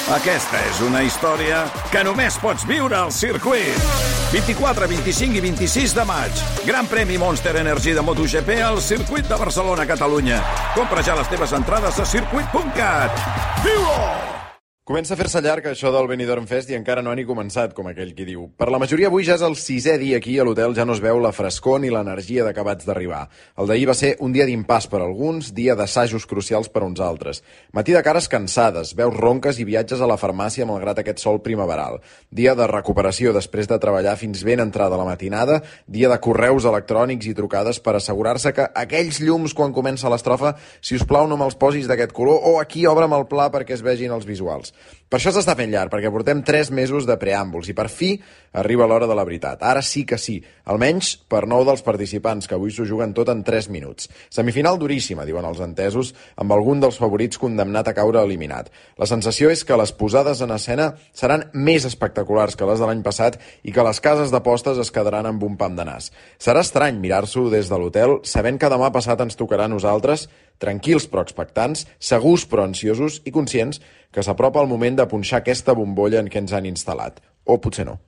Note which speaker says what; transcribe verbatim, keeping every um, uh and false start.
Speaker 1: Aquesta és una història que només pots viure al circuit. vint-i-quatre, vint-i-cinc i vint-i-sis de maig. Gran premi Monster Energy de MotoGP al circuit de Barcelona, Catalunya. Compra ja les teves entrades a circuit punt cat. Viu-ho!
Speaker 2: Comença a fer-se llarg això del Benidorm Fest i encara no ha ni començat, com aquell qui diu. Per la majoria avui ja és el sisè dia aquí a l'hotel, ja no es veu la frescor ni l'energia d'acabats d'arribar. El d'ahir va ser un dia d'impàs per alguns, dia d'assajos crucials per uns altres. Matí de cares cansades, veus ronques i viatges a la farmàcia malgrat aquest sol primaveral. Dia de recuperació després de treballar fins ben entrada la matinada, dia de correus electrònics i trucades per assegurar-se que aquells llums quan comença l'estrofa, si us plau no me'ls posis d'aquest color o aquí obre'm el pla perquè es vegin els visuals. Per això s'està fent llarg, perquè portem tres mesos de preàmbuls i per fi arriba l'hora de la veritat. Ara sí que sí, almenys per nou dels participants, que avui s'ho juguen tot en tres minuts. Semifinal duríssima, diuen els entesos, amb algun dels favorits condemnat a caure eliminat. La sensació és que les posades en escena seran més espectaculars que les de l'any passat i que les cases d'apostes es quedaran amb un pam de nas. Serà estrany mirar-s'ho des de l'hotel, sabent que demà passat ens tocarà a nosaltres, tranquils però expectants, segurs però ansiosos i conscients que s'apropa el moment de punxar aquesta bombolla en què ens han instal·lat. O potser no.